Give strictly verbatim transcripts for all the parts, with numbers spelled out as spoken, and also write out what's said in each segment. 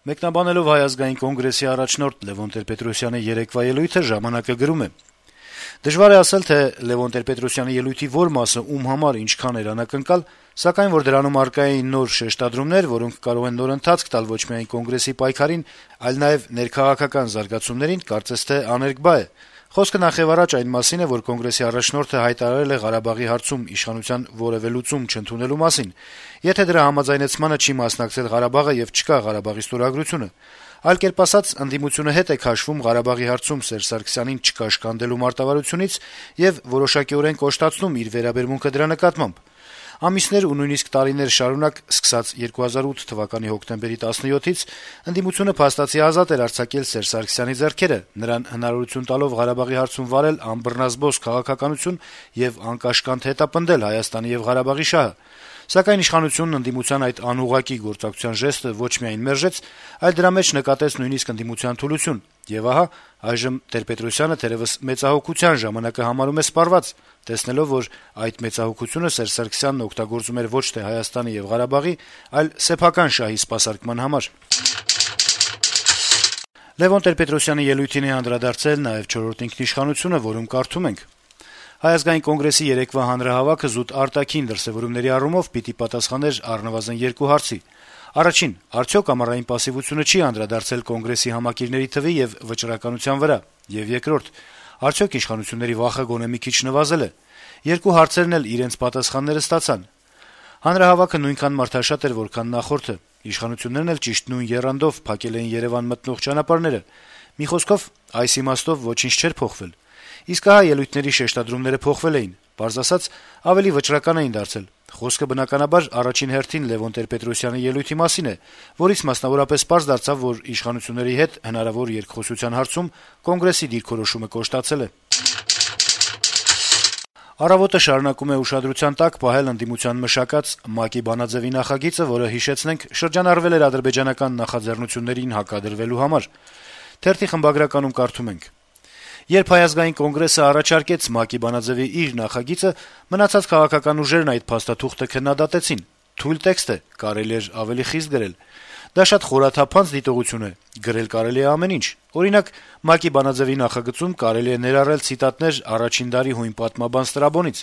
Մեկնաբանելով Հայ ազգային կոնգրեսի առաջնորդ Լեւոն Տեր-Պետրոսյանի երեկվա ելույթը «Ժամանակ»-ը գրում է. - «Դժվար է ասել, թե Լեւոն Տեր-Պետրոսյանի ելույթի որ մասը ում համար ինչքան էր անակնկալ, սակայն որ դրանում առկա էին նոր շեշտադրումներ, որոնք կարող են նոր ընթացք տալ ոչ միայն կոնգրեսի պայքարին, այլ նաեւ ներքաղաքական զարգացումներին, կարծես թե աներկբա է։ Խոսքը նախեւառաջ այն մասին է, որ կոնգրեսի առաջնորդը հայտարարել է Ղարաբաղի հարցում իշխանության որեւէ լուծում չընդունելու մասին, եթե դրա համաձայնեցմանը չի մասնակցել Ղարաբաղը եւ չկա Ղարաբաղի ստորագրությունը։ Այլ կերպ ասած, ընդդիմությունը հետ է քաշվում Ղարաբաղի հարցում Սերժ Սարգսյանին չկաշկանդելու մարտավարությունից եւ որոշակիորեն կոշտացնում իր վերաբերմունքը դրա նկատմամբ։ Ամիսներ ու նույնիսկ տարիներ շարունակ, սկսած երկու հազար ութ թվականի հոկտեմբերի տասնյոթից, ընդդիմությունը փաստացի ազատ էր արձակել Սերժ Սարգսյանի ձեռքերը, նրան հնարավորություն տալով Ղարաբաղի հարցում վարել անբռնազբոս քաղաքականություն եւ անկաշկանդ հետապնդել Հայաստանի եւ Ղարաբաղի շահը։ Սակայն իշխանությունն ընդդիմության այդ անուղղակի գործակցության ժեստը ոչ միայն մերժեց, այլ դրա մեջ նկատեց նույնիսկ ընդդիմության թուլություն։ Եվ ահա, այժմ Տեր-Պետրոսյանը թերեւս մեծահոգության ժամանակը համարում է սպառված, տեսնելով, որ այդ մեծահոգությունը Սերժ Սարգսյանն օգտագործում էր ոչ թե Հայաստանի եւ Ղարաբաղի, այլ սեփական շահի սպասարկման համար»։ Լեւոն Տեր-Պետրոսյանի ելույթին է անդրադարձել նաեւ «Չորրորդ ինքնիշխանությունը», որում կարդում ենք. - «Հայ ազգային կոնգրեսի երեկվա հանրահավաքը զուտ արտաքին դրսեւորումների առումով պիտի պատասխաներ առնվազն երկու հարցի. Առաջին, արդյոք ամառային պասիվությունը չի անդրադարձել կոնգրեսի համակիրների թվի եւ վճռականության վրա, եւ երկրորդ, արդյոք իշխանությունների վախը գոնե մի քիչ նվազել է։ Երկու հարցերն էլ իրենց պատասխանները ստացան։ Հանրահավաքը նույնքան մարդաշատ էր, որքան նախորդը։ Իշխանություններն էլ ճիշտ նույն եռանդով փակել էին Երեւան մտնող ճանապարհները։ Մի խոսքով, այս իմաստով ոչինչ չէր փոխվել։ Իսկ ահա ելույթների շեշտադրումները փոխվել էին, պարզ ասած, ավելի վճռական էին դարձել։ Խոսքը բնականաբար առաջին հերթին Լեւոն Տեր-Պետրոսյանի ելույթի մասին է, որից մասնավորապես պարզ դարձավ, որ իշխանությունների հետ հնարավոր երկխոսության հարցում կոնգրեսի դիրքորոշումը կոշտացել է»։ «Առավոտ»-ը շարունակում է ուշադրության տակ պահել ընդդիմության մշակած ՄԱԿ-ի բանաձեւի նախագիծը, որը, հիշեցնենք, շրջանառվել էր ադրբեջանական նախաձեռնություններին հակադրվելու համար։ Թերթի խմբագրականում կարդում ենք. - «Երբ Հայ ազգային կոնգրեսը առաջարկեց ՄԱԿ-ի բանաձեւի իր նախագիծը, մնացած քաղաքական ուժերն այդ փաստաթուղթը քննադատեցին։ Թույլ տեքստ է, կարելի էր ավելի խիստ գրել։ Դա շատ խորաթափանց դիտողություն է, գրել կարելի է ամեն ինչ։ Օրինակ, ՄԱԿ-ի բանաձեւի նախագծում կարելի է ներառել ցիտատներ առաջին դարի հույն պատմաբան Ստրաբոնից,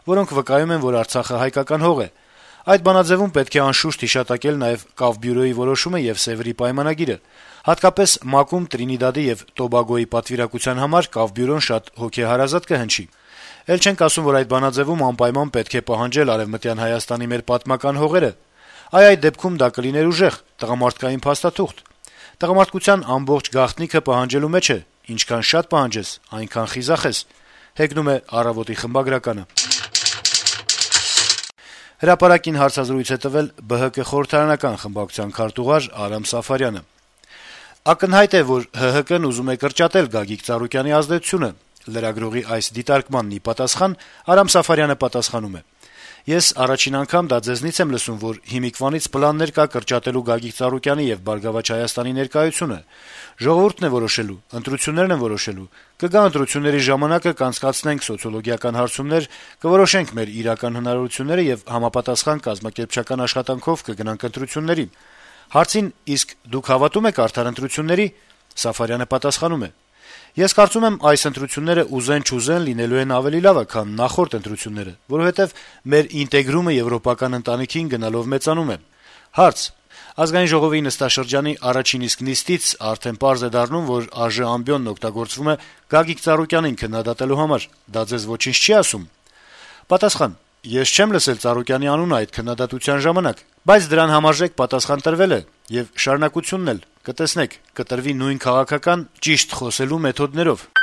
որոնք վկայում են, որ Արցախը հայկական հող է։ Այդ բանաձեւում պետք է անշուշտ հիշատակել նաեւ Կավբյուրոյի որոշումը եւ Սեւրի պայմանագիրը։ Հատկապես ՄԱԿ-ում Տրինիդադի եւ Տոբագոյի պատվիրակության համար Կավբյուրոն շատ հոգեհարազատ կհնչի։ Էլ չենք ասում, որ այդ բանաձեւում անպայման պետք է պահանջել Արեւմտյան Հայաստանի մեր պատմական հողերը։ Այ այդ դեպքում դա կլիներ ուժեղ, տղամարդկային փաստաթուղթ։ Տղամարդկության ամբողջ գաղտնիքը պահանջելու մեջ է, ինչքան շատ պահանջես, այնքան խիզախ ես», հեգնում է «Առավոտ»-ի խմբագրականը։ Հրապարակին հարցազրույց է տվել Բը Հը Կը խորհրդարանական խմբակցության քարտուղար Արամ Սաֆարյանը։ Ակնհայտ է, որ Հ Հ Կն ուզում է կրճատել Գագիկ Ծառուկյանի ազդեցությունը։ Լրագրողի այս դիտարկմանն ի պատասխան Արամ Սաֆարյանը պատասխանում է. - «Ես առաջին անգամ դա ձեզնից եմ լսում, որ հիմիկվանից պլաններ կա կրճատելու Գագիկ Ծառուկյանի եւ Բարգավաճ Հայաստանի ներկայությունը։ Ժողովուրդն է որոշելու, ընտրություններն են որոշելու։ Կգա ընտրությունների ժամանակը, կանցկացնենք սոցիոլոգիական հարցումներ, կորոշենք մեր իրական հնարավորությունները եւ համապատասխան կազմակերպչական աշխատանքով կգնանք ընտրությունների»։ Հարցին՝ իսկ դուք հավատում եք արդար ընտրությունների, Սաֆարյանը պատասխանում է. - «Ես կարծում եմ, այս ընտրությունները ուզեն-չուզեն լինելու են ավելի լավը, քան նախորդ ընտրությունները, որովհետեւ մեր ինտեգրումը եվրոպական ընտանիքին գնալով մեծանում է»։ Հարց. - Ազգային ժողովի նստաշրջանի առաջին իսկ նիստից արդեն պարզ է դառնում, որ ԱԺ ամբիոնն օգտագործվում է Գագիկ Ծառուկյանին քննադատելու համար։ Դա ձեզ ոչինչ չի ասում։ Պատասխան. - Ես չեմ լսել Ծառուկյանի անունը այդ քննադատության ժամանակ, բայց դրան համարժեք պատասխան տրվել է, եւ շարունակությունն էլ, կտեսնեք, կտրվի նույն քաղաքական, ճիշտ խոսելու մեթոդներով»։